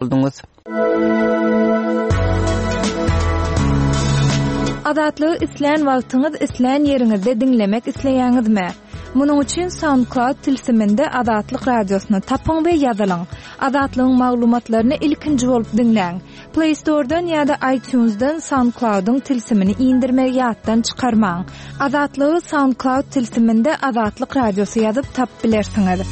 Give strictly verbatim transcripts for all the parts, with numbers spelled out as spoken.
Bolduňyz. Azatlygy islän wagtyňyz, islän ýeriňizde diňlemek isleýäňizmi? Munuň üçin SoundCloud tilsiminde Azatlyk radiosyny tapyň we ýazylyň. Azatlygyň maglumatlaryny ilkinji bolup diňläň. Play Store'dan ýa-da iTunes'dan SoundCloud'yň tilsimini indirmegi ýatdan çykarmaň. Azatlygy SoundCloud tilsiminde Azatlyk radiosy ýazyp tapyp bilersiňiz.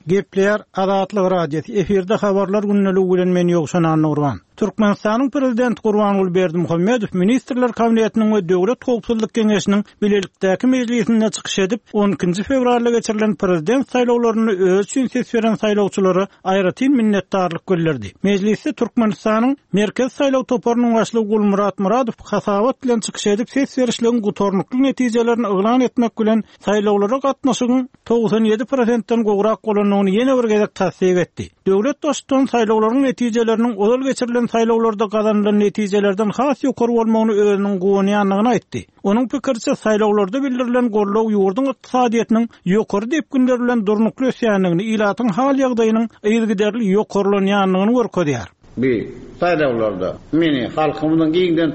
Gepleýär Azatlyk Radiosy. Efirde habarlar gündeligi bilen men Ýowşan Annurban. Türkmenistanyň Prezidenti Gurbanguly Berdimuhamedow Ministrler Kabinetiniň we Döwlet Howpsuzlyk Geňeşiniň bilelikdäki mejlisinde çykyş edip, on ikinji fewralda geçirilen prezident saýlawlarynda öz üçin ses beren saýlawçylara aýratyn minnetdarlyk bildirdi. Mejlisde Türkmenistanyň Merkezi saýlaw toparynyň başlygy Gulmurat Muradow hasabat bilen çykyş edip, ses berişligiň gutarnykly netijelerini yglan etmek bilen saýlawlara gatnaşygyň togsan ýedi prosentden gowrak bolandygyny ýene bir gezek tassyk etdi. Döwlet baştutany saýlawlaryň netijeleriniň ozal geçirilen saýlawlarda gazanylan netijelerden has ýokary bolmagyny özüniň guwanýandygyny aýtdy. Onuň pikiriçe saýlawlarda bildirilen goldaw ýurduň ykdysadyýetiniň ýokary depginler bilen durnukly ösýändigini, ilatyň hal ýagdaýynyň yzygiderli ýokarlanýandygyny görkezýär. Bir saýlawlarda meni halkymyzyň giňden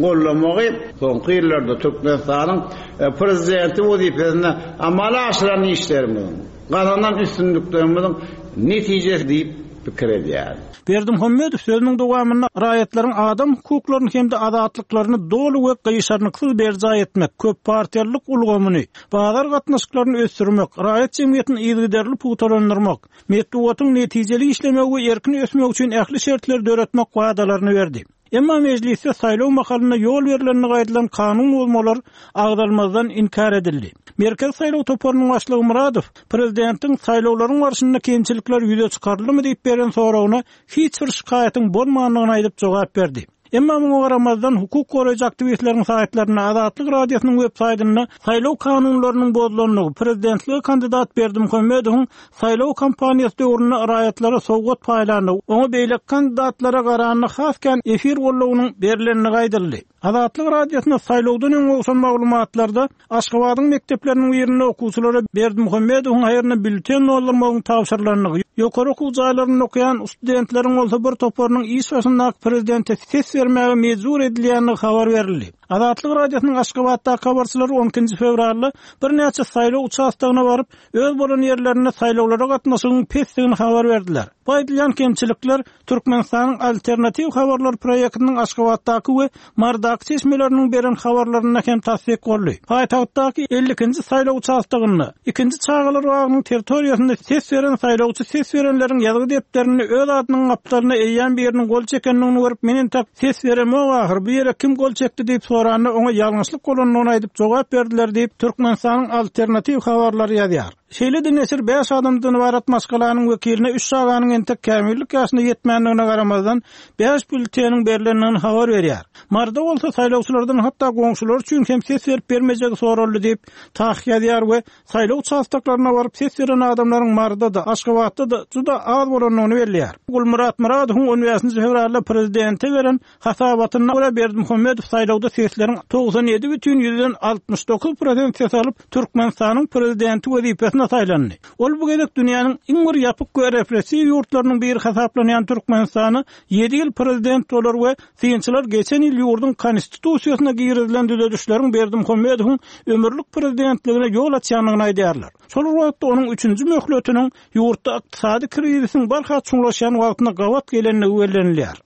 gollamagy soňky ýyllarda Türkmenistanyň, e, prezidenti wezipesinde amala aşyran işlerimiziň, gazanan üstünliklerimiziň netijesi diýip pikir edýär. Berdimuhamedow sözüniň dowamynda raýatlaryň adam hukuklaryny hem-de azatlyklaryny doly we gyşarnyksyz berjaý etmek, köp partiýalylyk ulgamyny, bazar gatnaşyklaryny ösdürmek, raýat jemgyýetini yzygiderli pugtalandyrmak, metbugatyň netijeli işlemegi we erkin ösmegi üçin ähli şertleri döretmek wadalaryny berdi. Emma mejlisde saýlaw mahalynda ýol berlenligi aýdylan kanun bozmalar agzalmazdan inkär edildi. Merkezi saýlaw toparynyň başlygy Muradow prezidentiň saýlawlaryň barşynda kemçilikler ýüze çykaryldymy diýip beren soragyna hiç bir şikaýatyň bolmandygyny aýdyp jogap berdi. Emma muňa garamazdan hukuk goraýjy aktiwistleriň saýtlarynda Azatlyk Radiosynyň web saýtynda saýlaw kanunlarynyň bozulandygy, prezidentlige kandidat Berdimuhamedowyň saýlaw kampaniýasy döwründe raýatlara sowgat paýlandygy, oňa beýleki kandidatlara garanda has kän efir goldawynyň berilendigi aýdyldy. Azatlyk Radiosyna saýlawdan öň gowşan maglumatlarda Aşgabadyň mekdepleriniň birinde okuwçylara Berdimuhamedowyň haýryna bülten doldurmagyň tabşyrylandygy, ýokary okuw jaýlarynda okaýan studentleriň bolsa bir toparynyň iş başyndaky prezidente ses bermäge mejbur edilýändigi habar berildi. Azatlyk Radiosynyň Aşgabatdaky habarçylary on ikinji fewralda birnäçe saýlaw uçastogyna baryp, öz bolan ýerlerinde saýlawlara gatnaşygyň pesdigini habar berdiler. Bu aýdylýan kemçilikler Türkmenistanyň alternatiw habarlar proýektiniň Aşgabatdaky we Mardaky çeşmeleriniň beren habarlarynda hem tassyk boldy. Paýtagtdaky elli ikinji saýlaw uçastogynda ikinji çagalar bagynyň territoriýasynda ses beren saýlawçy ses berenleriň ýazgy depderinde öz adynyň gapdalyna eýýäm biriniň gol çekendigini görüp, men entek ses beremok ahyr, bu ýere kim gol çekdi diýip soranda oňa ýalňyşlyk bolandygyny aýdyp jogap berdiler diýip Türkmenistanyň alternatiw habarlary ýazýar. Şeýle-de neşir bäş adamdan ybarat maşgalanyň wekiline üç çaganyň entek kämillik ýaşyna ýetmändigine garamazdan bäş bülteniň berlendigini habar berýär. Marda bolsa saýlawçylardan hatda goňşular üçin hem ses berip bermejegi soraldy diýip tah ýazýar we saýlaw uçastoklaryna baryp ses beren adamlaryň Marda-da, Aşgabatda-da juda az bolandygyny belleýär. Gulmurat Muradowyň on bäşinji fewralda prezidente beren hasabatynda görä Berdimuhamedow saýlawda sesleriň togsan ýedi bütin ýüzden altmyş dokuz prosent ses alyp Türkmenistanyň prezidenti wezipesine saýlandy. Ol bu gezek dünýäniň iň bir ýapyk we repressiw ýurtlarynyň biri hasaplanýan Türkmenistana ýedi ýyl prezident bolar we synçylar geçen ýyl ýurduň konstitusiýasyna girizilen düzedişleriň Berdimuhamedowyň ömürlik prezidentligine ýol açýandygyny aýdýarlar. Şol wagtda onuň üçünji möhletiniň ýurtda ykdysady krizisiň barha çuňlaşýan wagtyna gabat gelendigi bellenilýär.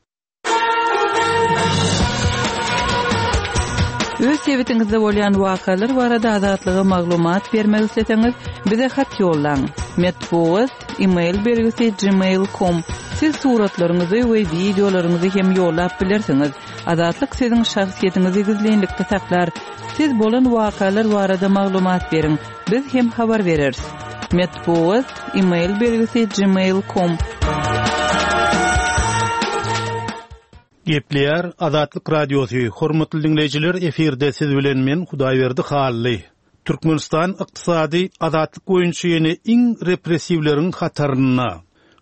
Öz sebitiňizde bolýan wakalar barada Azatlyga maglumat bermek isleseňiz, bize hat ýollaň. Metbugat, e-mail belgisi gmail nokta com. Siz suratlaryňyzy we wideolaryňyzy hem ýollap bilersiňiz. Azatlyk siziň şahsyýetiňizi gizlinlikde saklar. Siz bolan wakalar barada maglumat beriň. Biz hem habar bereris. Metbugat, e-mail belgisi gmail nokta com. Gepleýär Azatlyk Radiosy. Hormatly dinleýjiler, efirde siz bilen men Hudaýberdi Hally. Türkmenistan ykdysady azatlyk boýunça ýene iň repressiwleriň hatarynda.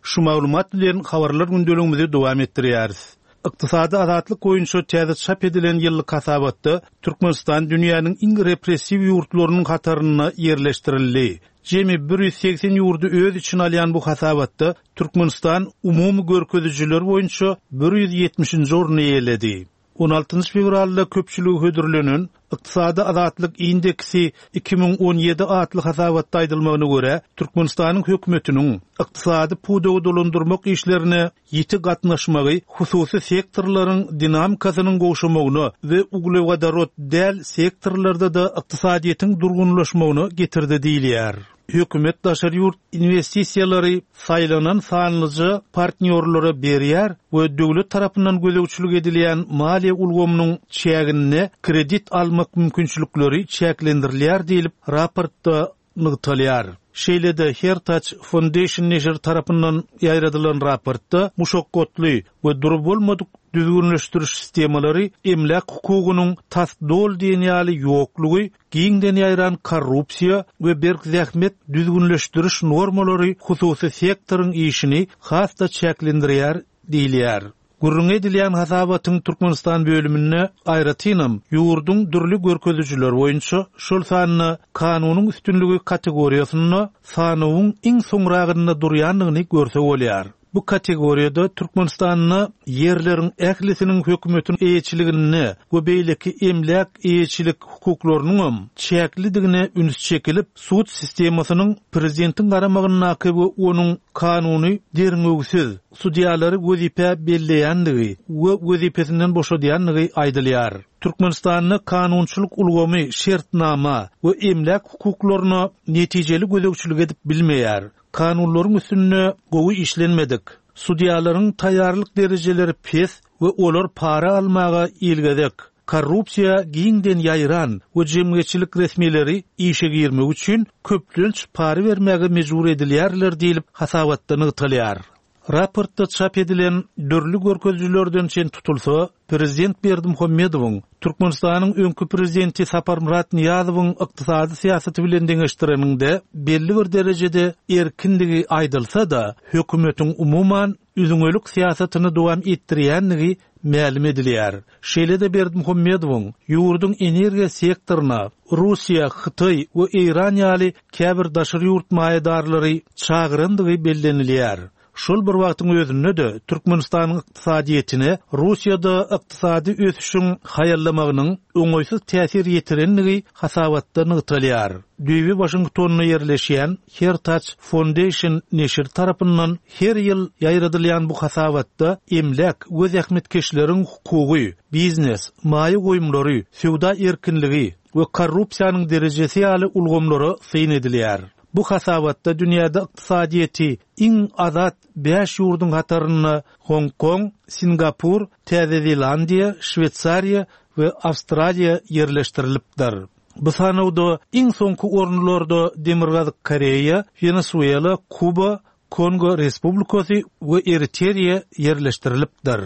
Şu maglumat bilen habarlar gündeligimizi dowam etdirýäris. Ykdysady azatlyk boýunça täze çap edilen ýyllyk hasabatda Türkmenistan dünýäniň iň repressiw ýurtlarynyň hatarynda ýerleşdirildi. Jemi bir ýüz segsen ýurdy öz içine alýan bu hasabatda Türkmenistan umumy görkezijiler boýunça bir ýüz ýetmişinji orny eýeledi. On altynjy fewralda köpçülige hödürlenen Ykdysady azatlyk indeksi iki müň on ýedi atly hasabatda aýdylmagyna görä, Türkmenistanyň hökümetiniň ykdysady pudagy dolandyrmak işlerine ýiti gatnaşmagy hususy sektorlaryň dinamikasynyň gowşamagyna we uglewodorod däl sektorlarda-da ykdysadyýetiň durgunlaşmagyna getirdi diýilýär. Hökümet daşary ýurt inwestisiýalary saýlanan sanlyja partnýorlara berýär we döwlet tarapyndan gözegçilik edilýän maliýe ulgamynyň çäginde kredit almak mümkinçilikleri çäklendirilýär diýlip raportda nygtalýar. Şeýle-de Heritage Foundation neşiri tarapyndan ýaýradylan raportda muşakgatly we durup bolmadyk düzgünleşdiriş sistemalary emläk hukugynyň tas doly diýen ýaly ýoklugy, giňden ýaýran korrupsiýa we berk zähmet düzgünleşdiriş normalary hususy sektoryň işini has-da çäklendirýär diýilýär. Gürrüň edilýän hasabatyň Türkmenistan bölüminde aýratynam ýurduň dürli görkezijiler boýunça, şol sanda kanunyň üstünligi kategoriýasynda sanawyň iň soňragynda durýandygyny görse bolýar. Bu kategoriýada Türkmenistanda ýerleriň ählisiniň hökümetiň eýeçiliginde we beýleki emläk eýeçilik hukuklarynyň çäklidigine üns çekilip, sud sistemasynyň prezidentiň garamagyndaky we onuň kanuny derňewsiz sudýalary wezipe belleýändigi we wezipesinden boşadýandygy aýdylýar. Türkmenistanda kanunçylyk ulgamy şertnama we emläk hukuklaryna netijeli gözegçilik edip bilmeýär. Kanunlaryň üstünde gowy işlenmedik. Sudýalaryň taýýarlyk derejeleri pes we olar para almaga ilgezek. Korrupsiýa giňden ýaýran we jemgyýetçilik resmileri işe girmek üçin köplenç para bermäge mejbur edilýärler diýlip hasabatda nygtalýar. Raportda çap edilen dürli görkezijilerden çen tutulsa, Prezident Berdimuhamedowyň Türkmenistanyň öňki prezidenti Saparmyrat Nyýazowyň ykdysady syýasaty bilen deňeşdireninde belli bir derejede erkinligi aýdylsa-da, hökümetiň umuman üzňelik syýasatyny dowam etdirýänligi mälim edilýär. Şeýle-de Berdimuhamedowyň ýurduň energiýa sektoryna Russiýa, Hytaý we Eýran ýaly käbir daşary ýurt maýadarlary çagyrandygy bellenilýär. Şol bir wagtyň özünde-de Türkmenistanyň ykdysadyýetine Russiýada ykdysady ösüşiň haýallamagynyň oňaýsyz täsir ýetirenligi hasabatda nygtalýar. Düýbi Waşingtonda ýerleşýän Heritage Foundation neşiri tarapyndan her ýyl ýaýradylýan bu hasabatda emläk we zähmetkeşleriň hukugy, biznes, maýa goýumlary, söwda erkinligi we korrupsiýanyň derejesi ýaly ulgamlara syn edilýär. Bu hasabatda dünýäde ykdysadyýeti iň azat bäş ýurduň hatarynda Hong Kong, Singapur, Täze Zelandiýa, Şweýsariýa we Awstraliýa ýerleşdirilipdir. Bu sanawda iň soňky orunlarda Demirgazyk Koreýa, Wenesuela, Kuba, Kongo Respublikasy we Eriteriýa ýerleşdirilipdir.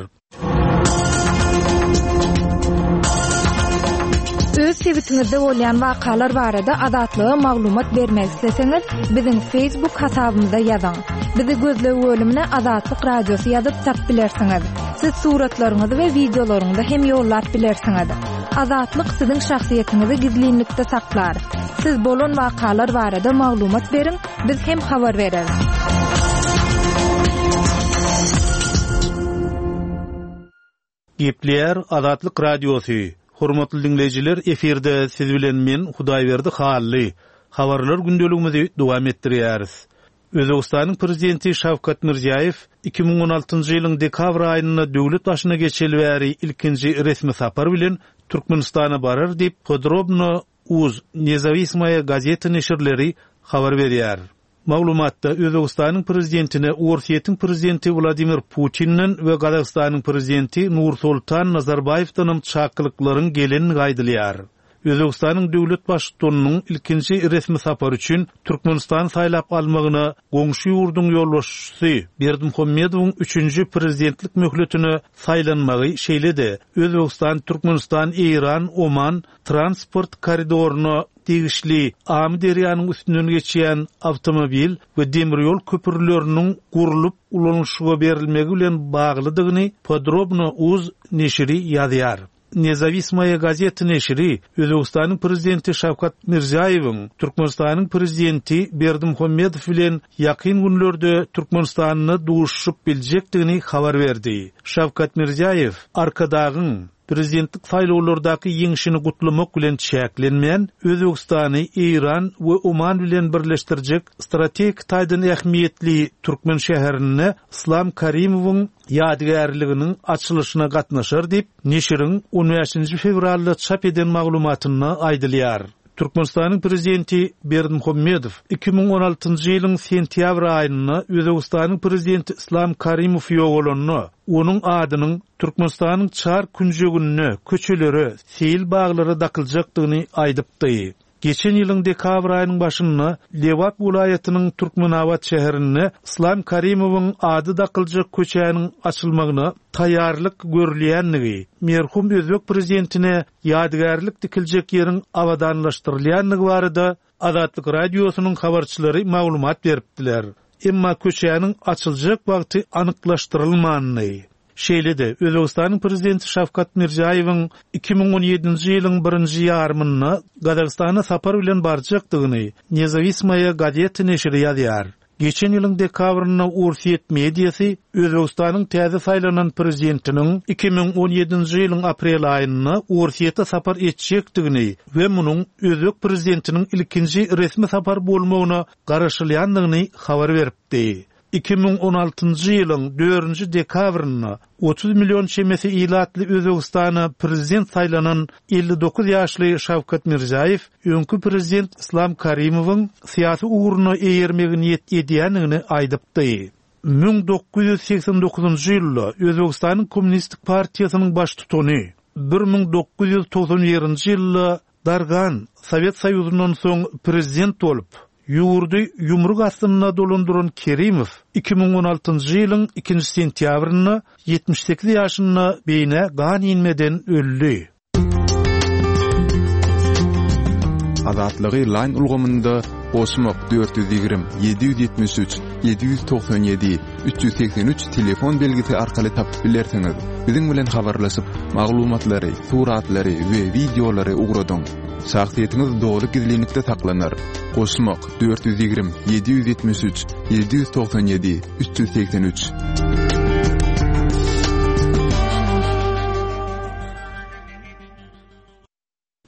Öz sebitiňizde bolýan wakalar barada Azatlyga maglumat bermek isleseňiz, biziň Facebook hasabymyza ýazyň. Bizi gözleg bölümine Azatlyk Radiosy ýazyp tap bilersiňiz. Siz suratlaryňyzy we wideolaryňyzy hem ýollap bilersiňiz. Azatlyk siziň şahsyýetiňizi gizlinlikde saklar. Siz bolan wakalar barada maglumat beriň, biz hem habar bereris. Gepleýär Azatlyk Radiosy. Hormatly dinleýjiler, efirde siz bilen men Hudaýberdi Hally. Habarlar gündeligimizi dowam etdirýäris. Özbekistanyň prezidenti Şawkat Mirziýoýew iki müň on altynjy ýylyň dekabr aýynda döwlet başyna geçeli bäri ilkinji resmi sapar bilen Türkmenistana barar diýip Podrobno Uz Nezawismaya gazeti neşirleri habar berýär. Maglumatda Özbekistanyň prezidentine Orsýetiň prezidenti Wladimir Putinden we Gazagystanyň prezidenti Nursultan Nazarbaýewden hem çakylyklaryň gelenligi aýdylýar. Özbegistanyň döwlet baştutanynyň ilkinji resmi sapary üçin Türkmenistan saýlap almagyna goňşy ýurduň ýolbaşçysy Berdimuhamedowyň üçünji prezidentlik möhletine saýlanmagy şeýle-de Özbegistan, Türkmenistan, Eýran, Oman transport koridoryna degişli Amyderýanyň üstünden geçýän awtomobil we demir ýol köprüleriniň gurlup ulanyşyga berilmegi bilen baglydygyny Podrobno uz neşiri ýazýar. Nezavismaya gazeti neşiri Özbegistanyň prezidenti Şawkat Mirziýoýewiň Türkmenistanyň prezidenti Berdimuhamedow bilen ýakyn günlerde Türkmenistanda duşup biljekdigini habar berdi. Şawkat Mirziýoýew Arkadagyň prezidentlik saýlawlardaky ýeňşini gutlamak bilen çäklenmän, Özbegistany Eýran we Oman bilen birleşdirjek strategik taýdan ähmiýetli Türkmen şäherinde Islam Karimowyň ýadygärliginiň açylyşyna gatnaşar diýip, neşiriň on bäşinji fewralda çap eden maglumatynda aýdylýar. Türkmenistanyň prezidenti Berdimuhamedow iki müň on altynjy ýylyň sentýabr aýynda Özbegistanyň prezidenti Islam Karimow ýogalanda, onuň adynyň Türkmenistanyň çar künjeginde köçelere, seýil baglara dakyljakdygyny aýdypdy. Geçen ýylyň dekabr aýynyň başynda Lebap welaýatynyň Türkmenabat şäherinde Islam Karimowyň ady dakyljak köçäniň açylmagyna taýýarlyk görülýänligi, merhum özbek prezidentine ýadygärlik dikiljek ýeriň abadanlaşdyrylýanlygy barada Azatlyk radiosynyň habarçylary maglumat beripdiler. Emma köçäniň açyljak wagty anyklaşdyrylmandy. Şeýle-de Özbegistanyň prezidenti Şawkat Mirziýoýewiň iki müň on ýedinji ýylyň birinji ýarymynda Gazagystana sapar bilen barjakdygyny Nezavismaya gazeti neşiri ýazýar. Geçen ýylyň dekabrynda Orsýet mediasy Özbegistanyň täze saýlanan prezidentiniň iki müň on ýedinji ýylyň aprel aýynda Orsýete sapar etjekdigini we munuň Özbek prezidentiniň ilkinji resmi sapar bolmagyna garaşylýandygyny habar beripdi. iki müň on altynjy ýylyň dördünji dekabrynda otuz million çemesi ilatly Özbegistana prezident saýlanan elli dokuz ýaşly Şawkat Mirziýoýew öňki prezident Islam Karimowyň syýasy ugruna eýermegi niýet edýändigini aýdypdy. müň dokuz ýüz seksen dokuzynjy ýylda Özbegistanyň Kommunistik partiýasynyň baştutany bir müň dokuz ýüz togsan birinji ýylda Dargan Sowet Soýuzyndan soň prezident bolup, ýurdy ýumruk astynda dolandyran Kerimow iki müň on altynjy ýylyň ikinji sentýabrynda ýetmiş sekiz ýaşynda beýne gan inmeden öldi. Azatlygy line ulgamynda goşmak dört ýüz ýigrimi, ýedi ýüz ýetmiş üç, ýedi ýüz togsan ýedi, üç ýüz segsen üç telefon belgisi arkaly tapyp bilersiňiz. Biziň bilen habarlaşyp, maglumatlary, suratlary we wideolary ugradyň. Şahsyýetiňiz doly gizlinlikde saklanar. Goşmak dört ýüz ýigrimi, ýedi ýüz ýetmiş üç, ýedi ýüz togsan ýedi, üç ýüz segsen üç.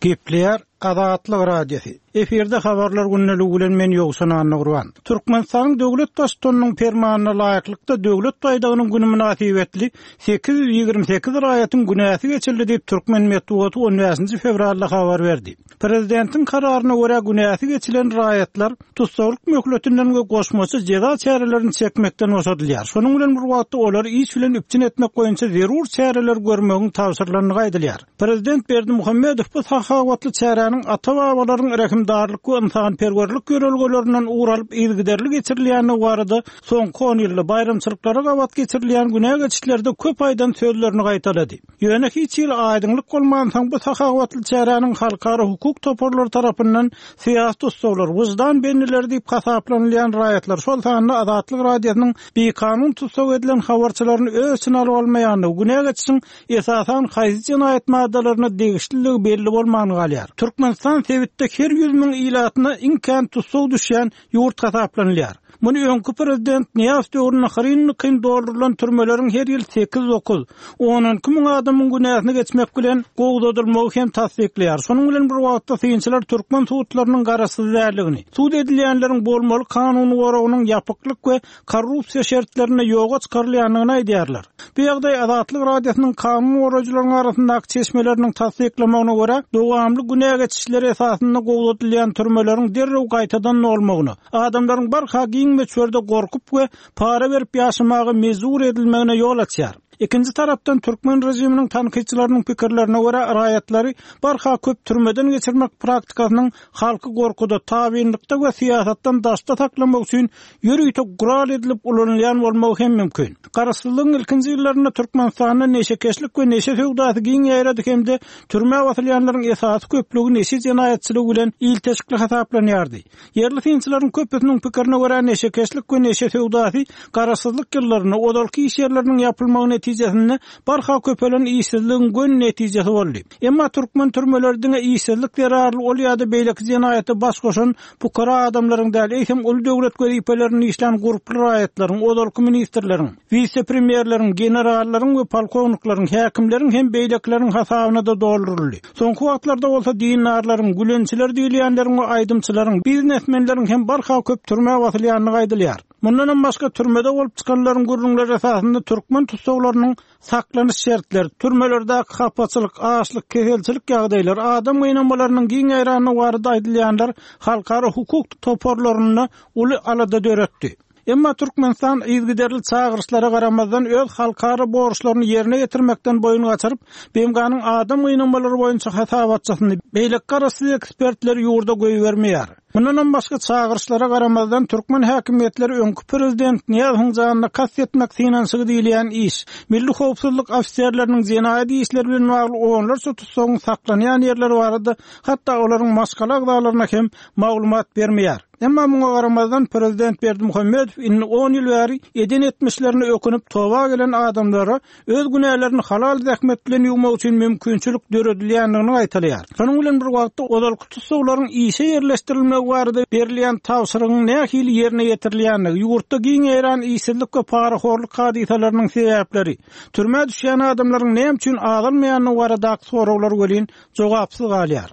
Gepleýär Azatlyk Radiosy. Efirde habarlar gündeligi bilen men Ýowşan Annagurban. Türkmenistanyň döwlet baştutanynyň permanyna laýyklykda döwlet baýdagynyň günü mynasybetli sekiz ýüz ýigrimi sekiz raýatyň günäsi geçildi diýip Türkmen metbugaty on bäşinji fewralda habar berdi. Prezidentiň kararyna görä günäsi geçilen raýatlar tussaglyk möhletinden we goşmaça jeza çärelerini çekmekden boşadylýar. Şonuň bilen bir wagtda olary iş bilen üpjün etmek boýunça zerur çäreler görmegiň tabşyrylandygy aýdylýar. Prezident Berdimuhamedow bu sahawatly çäräniň ata-babalaryň rehimdarlyk we ynsanperwerlik ýörelgelerinden ugur alyp yzygiderli geçirilýändigi barada soňky on ýylda baýramçylyklara gabat geçirilýän günä geçişlerde köp aýdan sözlerini gaýtalady. Ýöne hiç ýyl aýdyňlyk bolmansoň bu sahawatly çäräniň halkara hukuk toparlary tarapyndan syýasy tussaglar, wyždan bendileri diýip hasaplanylýan raýatlar, şol sanda Azatlyk Radiosynyň bikanun tussag edilen habarçylaryny öz içine alyp almaýandygy, günä geçişiň esasan haýsy jenaýat maddalaryna degişliligi belli bolman galýar. Türkmenistan sebitde her ýüz müň ilatyna iň kän tussag düşýän ýurt hasaplanylýar. Muny öňki prezident Niýaz döwründe hyryn-hyryn doldurylan türmeleriň her ýyl sekiz dokuz, on iki müň adamyň günäsini geçmek bilen gowzadylmagy hem tassyklaýar. Şonuň bilen bir wagtda synçylar türkmen sudlarynyň garaşsyz däldigini, sud edilýänleriň bolmaly kanuny goragynyň ýapyklyk we korrupsiýa şertlerinde ýoga çykarylýandygyny aýdýarlar. Bu ýagdaý Azatlyk Radiosynyň kanun goraýjylaryň arasyndaky çeşmeleriniň tassyklamagyna görä, dowamly günä geçişleri esasynda gowzadylýan türmeleriň derrew gaýtadan dolmagyna, adamlaryň barha giň möçberde gorkup we para berip ýaşamaga mejbur edilmegine ýol açýar. Ikinji tarapdan türkmen režiminiň tankytçylarynyň pikirlerine görä raýatlary barha köp türmeden geçirmek praktikasynyň halky gorkuda, tabynlykda we syýasatdan daşda saklamak üçin ýörite gural edilip ulanylýan bolmagy hem mümkin. Garaşsyzlygyň ilkinji ýyllarynda Türkmenistanda neşekeşlik we neşe söwdasy giň ýaýrady hem-de türmä basylýanlaryň esasy köplügi neşe jenaýatçylygy bilen ilteşikli hasaplanýardy. Ýerli synçylaryň köpüsiniň pikirine görä neşekeşlik we neşe söwdasy garaşsyzlyk ýyllarynda ozalky iş ýerleriniň ýapylmagy netijesinde barha köpelen işsizligiň gön netijesi boldy. Emma türkmen türmeleri diňe işsizlik zerarly ol ýa-da beýleki jenaýata baş goşan pukara adamlaryň däl, eýsem uly döwlet wezipelerini işlän gurply raýatlaryň, ozalky ministrleriň, wise-premýerleriň, generallaryň we polkownikleriň, häkimleriň hem beýlekileriň hasabyna da dolduryldy. Soňky wagtlarda bolsa dindarlaryň, gülençiler diýilýänleriň we aýdymçylaryň, biznesmenleriň hem barha köp türmä basylýandygy aýdylýar. Mundan hem başga türmede bolup çykanlaryň gürrüňleri esasynda türkmen tussaglarynyň saklanyş şertleri, türmelerdäki hapaçylyk, açlyk, keselçilik ýagdaýlary, adam gynamalarynyň giň ýaýrandygy barada aýdylýanlar halkara hukuk toparlarynda uly alada döretdi. Emma Türkmenistan yzygiderli çagyryşlara garamazdan öz halkara borçlaryny ýerine ýetirmekden boýun gaçyryp, B M G-nyň adam gynamalary boýunça hasabatçysyny beýleki garaşsyz ekspertleri ýurda goýbermeýär. Mundan hem başga çagyryşlara garamazdan türkmen häkimiýetleri öňki prezident Nyýazowyň janyna kast etmek synanyşygy diýilýän iş, milli howpsuzlyk ofiserleriniň jenaýat işleri bilen bagly onlarça tutsagyň saklanýan ýerleri barada hatda olaryň maşgala agzalaryna hem maglumat bermeýär. Emma muňa garamazdan prezident Berdimuhamedow indi on ýyl bäri eden etmişlerini ökünip toba gelen adamlara öz günälerini halal zähmet bilen ýuwmak üçin mümkinçilik döredilýändigini aýtylýar. Şonuň bilen bir wagtda ozalky tussaglaryň işe ýerleşdirilmegi barada berilýän tabşyrygyň nähili ýerine ýetirilýändigi, ýurtda giň ýaýran işsizlik we parahorluk hadysalarynyň sebäpleri, türmä düşýän adamlaryň näme üçin azalmaýandygy baradaky soraglar welin jogapsyz galýar.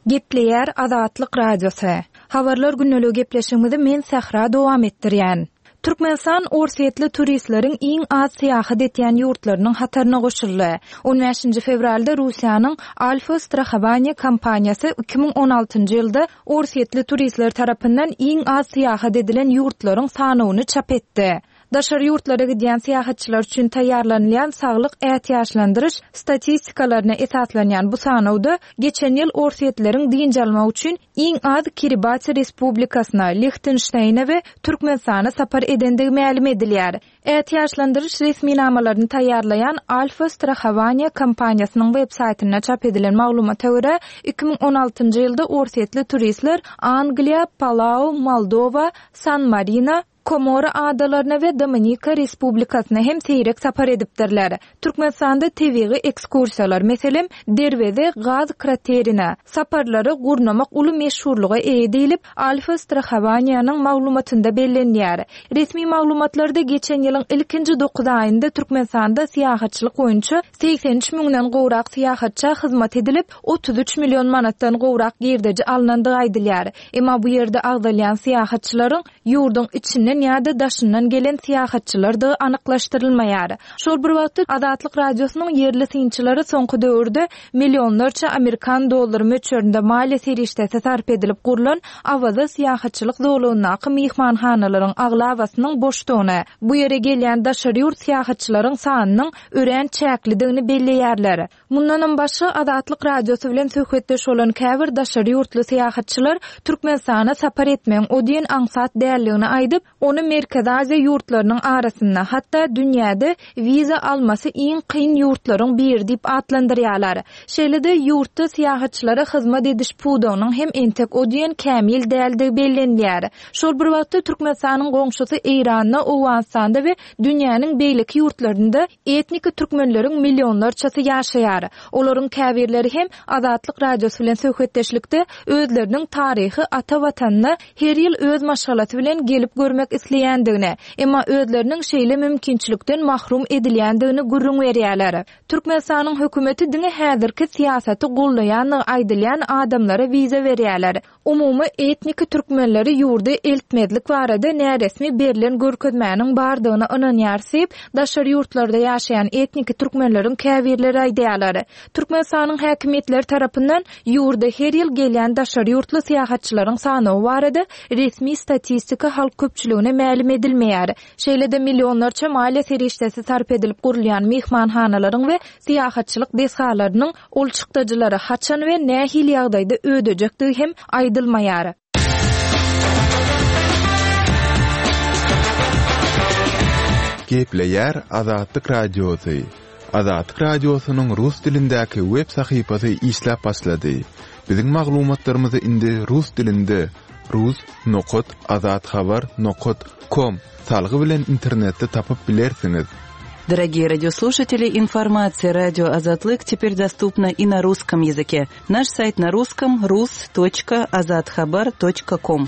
Gepleýär Azatlyk Radiosy. Habarlar günlügi gepleşigimizi men Sahra dowam etdirýän. Türkmenistan Orsýetli turistleriň iň az syýahat etýän ýurtlarynyň hataryna goşuldy. on bäşinji fewralda Russiýanyň Alfa Strahovaniýa kompaniýasy iki müň on altynjy ýylda Orsýetli turistler tarapyndan iň az syýahat edilen ýurtlaryň sanawyny çap etdi. Daşary ýurtlara gidýän syýahatçylar üçin taýýarlanylýan saglyk ätiýaçlandyryş statistikalaryna esaslanýan bu sanawda geçen ýyl Orsýetleriň dynç almak üçin iň az Kiribati Respublikasyna, Lihtenşteýne we Türkmenistana sapar edendigi mälim edilýär. Ätiýaçlandyryş resminamalaryny taýýarlaýan Alfa Strahovaniýa kompaniýasynyň web saýtynda çap edilen maglumata görä, iki müň on altynjy ýylda Orsýetli turistler Angliýa, Palau, Moldova, San Marino, Komora adalaryna we Dominika Respublikasyna hem seýrek sapar edipdirler. Türkmenistanda tebigy ekskursiýalar, meselem, Derweze gaz kraterine saparlary gurnamak uly meşhurlyga eýe diýlip, Alfa Strahovaniýanyň maglumatynda bellenýär. Resmi maglumatlarda geçen ýylyň ilkinji dokuz aýynda Türkmenistanda syýahatçylyk boýunça segsen üç müňden gowrak syýahatça hyzmat edilip, otuz üç million manatdan gowrak girdeji alynandygy aýdylýar. Emma bu ýerde agzalýan syýahatçylaryň ýurduň içinden ýa-da daşyndan gelen syýahatçylardygy anyklaşdyrylmaýar. Şol bir wagtda Azatlyk Radiosynyň ýerli synçylary soňky döwürde millionlarça Amerikan dollary möçberinde maliýe serişdesi sarp edilip gurlan Awaza syýahatçylyk zolagyndaky myhmanhanalaryň aglabasynyň boşdugyny, bu ýere gelýän daşary ýurt syýahatçylaryň sanynyň örän çäklidigini belleýärler. Mundanam başga Azatlyk Radiosy bilen söhbetdeş bolan käbir daşary ýurtly syýahatçylar Türkmenistana sapar etmegiň o diýen aňsat däldigini aýdyp, ony Merkezi Aziýa ýurtlarynyň arasynda, hatda dünýäde wiza almasy iň kyn ýurtlaryň biri diýip atlandyrýarlar. Şeýle-de ýurtda syýahatçylara hyzmat ediş pudagynyň hem entek o diýen kämil däldigi bellenýär. Şol bir wagtda Türkmenistanyň goňşusy Eýranda, Owganystanda we dünýäniň beýleki ýurtlarynda etnik türkmenleriň millionlarçasy ýaşaýar. Olaryň käbirleri hem Azatlyk Radiosy bilen söhbetdeşlikde özleriniň taryhy ata watanyna her ýyl öz maşgalasy bilen gelip görmek isleýändigini, emma özleriniň şeýle mümkinçilikden mahrum edilýändigini gürrüň berýärler. Türkmenistanyň hökümeti diňe häzirki syýasaty gollaýandygy aýdylýan adamlara wiza berýärler. Umumy etnik türkmenleri ýurda eltmezlik barada näresmi berlen görkezmäniň bardygyny ynanýar diýip, daşary ýurtlarda ýaşaýan etnik türkmenleriň käbirleri aýdýarlar. Türkmenistanyň häkimiýetleri tarapyndan ýurda her ýyl gelýän daşary ýurtly syýahatçylaryň sanawy barada resmi statistika halk köpçüligine ödejekdigini mälim edilmeýär. Şeýle-de millionlarça maliýe serişdesi sarp edilip gurulýan myhmanhanalaryň we syýahatçylyk desgalarynyň ol çykdajylary haçan we nähili ýagdaýda ödejekdigi hem aýdylmaýar. Gepleýär Azatlyk Radiosy. Azatlyk Radiosynyň rus dilindäki web sahypasy işläp başlady. Biziň maglumatlarymyzy indi rus dilinde rus nokat azathabar nokat com salgy bilen internetde tapyp bilersiňiz. Дорогие радиослушатели, информация радио Азатлык теперь доступна и на русском языке. Наш сайт на русском rus.azathabar.com.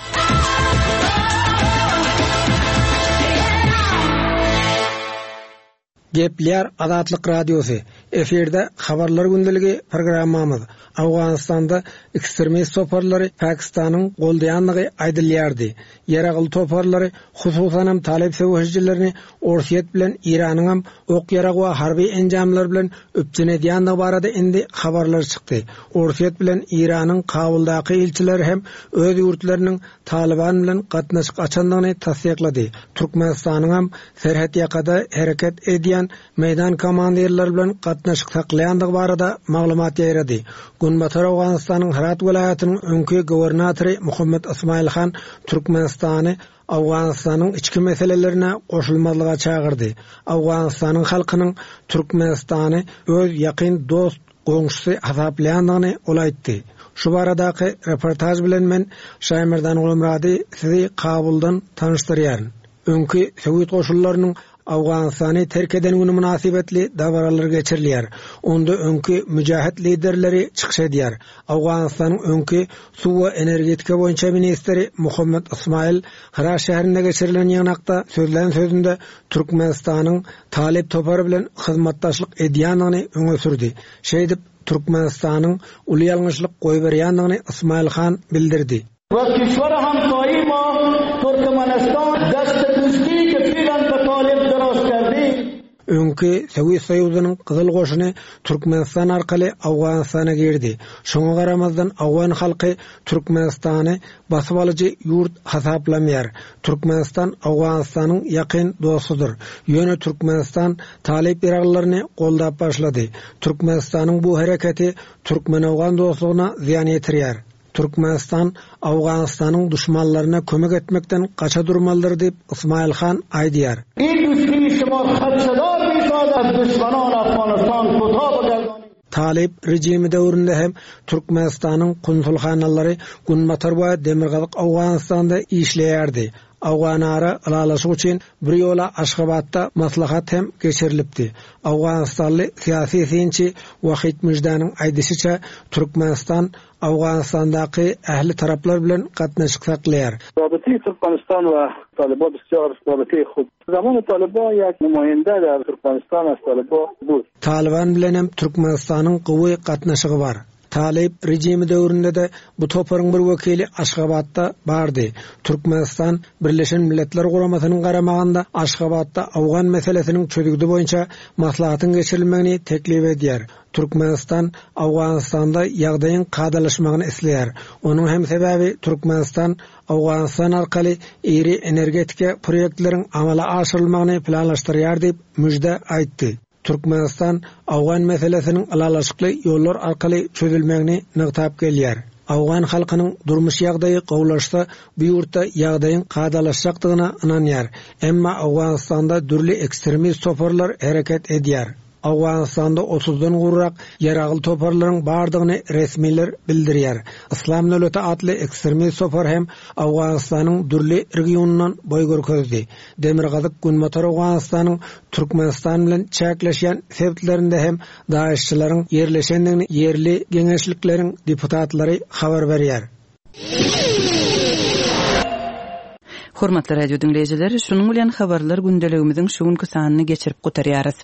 Gepleýär Azatlyk Radiosy. Efirde Habarlar gündeligi programmamyz. Awganystanda ekstremist toparlary Pakistanyň goldaýanlygy aýdylýardy. Ýaragly toparlary, hususanam Talip söweşijilerini Orsýet bilen Iranyňam ok ýarag we harby enjamlar bilen üpjün edýändigi barada indi habarlar çykdy. Orsýet bilen Iranyň Kabuldaky ilçileri hem öz ýurtlarynyň Taliban bilen gatnaşyk açandygyny tassyklady. Türkmenistanyňam serhet ýakada hereket edýän meýdan komandirleri bilen gatnaşyk saklaýandygy barada maglumat ýaýrady. Günbatar Awganystanyň Herat welaýatynyň öňki gubernatory Muhammed Ismail Han Türkmenistany Awganystanyň içki meselelerine goşulmazlyga çagyrdy. Awganystanyň halkynyň Türkmenistany öz ýakyn dost goňşusy hasaplaýandygyny ol aýtdy. Şu baradaky reportaj bilen men Şaýmerdan Gulmurady sizi Kabuldan tanyşdyrýaryn. Öňki Sowet goşunlarynyň Awganystany terk eden günü münasibetli dabaralar geçirilýär. Onda öňki mücahit liderleri çykyş edýär. Awganystanyň öňki suw we energetika boýunça ministri Muhammed Ismail Herat şäherinde geçirilen ýygnakda sözlän sözünde Türkmenistanyň Talip topary bilen hyzmatdaşlyk edýändigini öňe sürdi. Şeýdip Türkmenistanyň uly ýalňyşlyk goýberýändigini Ismail Han bildirdi. و کشور همسایه ما ترکمنستان دست دوستی که فعلا به طالب دراز کردیم Öňki Sowet Soýuzynyň Gyzyl goşuny Türkmenistan arkaly Awganystana girdi. Şoňa garamazdan Awgan halky Türkmenistany basyp alyjy ýurt hasaplamaýar. Türkmenistan Awganystanyň ýakyn dostudyr. Ýöne Türkmenistan Talip ýaraglaryny goldap başlady. Türkmenistanyň bu hereketi Türkmen-Awgan dostlugyna zyýan ýetirýär. Türkmenistan Awganystanyň duşmanlaryna kömek etmekden gaça durmalydyr diýip Ismail Han aýdýar. این دوستی شما خدشه‌دار می‌سازد از دشمنان افغانستان کوتاه بگردانید. Talip rejimi döwründe hem Türkmenistanyň konsulhanalary Günbatar we Demirgazyk Awganystanda işleýärdi. Awganara ylalaşyk üçin bir ýola Aşgabatda maslahat hem geçirilipdi. Awganistanly syýasy synçy Wahid Müjdäniň aýdyşyça Türkmenistan Awganistandaky ähli taraplar bilen gatnaşyk saklaýar. رابطه ترکمنستان و طالبان بسیار رابطه خوب. زمان طالبان یک نماینده در ترکمنستان از طالبان بود. Taliban bilen hem Türkmenistanyň gowy gatnaşygy bar. Talip rejimi döwründe de bu toparyň bir wekili Aşgabatda bardy. Türkmenistan Birleşen Milletler Guramasynyň garamagynda Aşgabatda Awgan meselesiniň çözgüdi boýunça maslahatyň geçirilmegini teklip edýär. Türkmenistan Awganystanda ýagdaýyň kadalaşmagyny isleýär. Onuň hem sebäbi Türkmenistan Awganistan arkaly iri energetika proýektleriň amala aşyrylmagyny planlaşdyrýar diýip müjde aýtdy. Türkmenistan Awgan meselesiniň ylalaşykly ýollar arkaly çözülmegini nygtap gelýär. Awgan halkynyň durmuş ýagdaýy gowulaşsa, bu ýurtda ýagdaýyň kadalaşjakdygyna ynanýar. Emma Awganystanda dürli ekstremist toparlar hereket edýär. Awganystanda otuzdan gurrak ýaragly toparlaryň bardygyny resmiler bildirýär. Islam döwleti atly ekstremist topar hem Awganystanyň dürli regionyndan boý görkezdi. Demirgazyk Günbatar Awganystanyň Türkmenistan bilen çäkleşýän sebitlerinde hem DAEŞ-çileriň ýerleşendigini ýerli geňeşlikleriň deputatlary habar berýär. Hormatly radio diňleýjiler, şunuň bilen habarlar gündeligimiziň şu günki sanyny geçirip gutarýarys.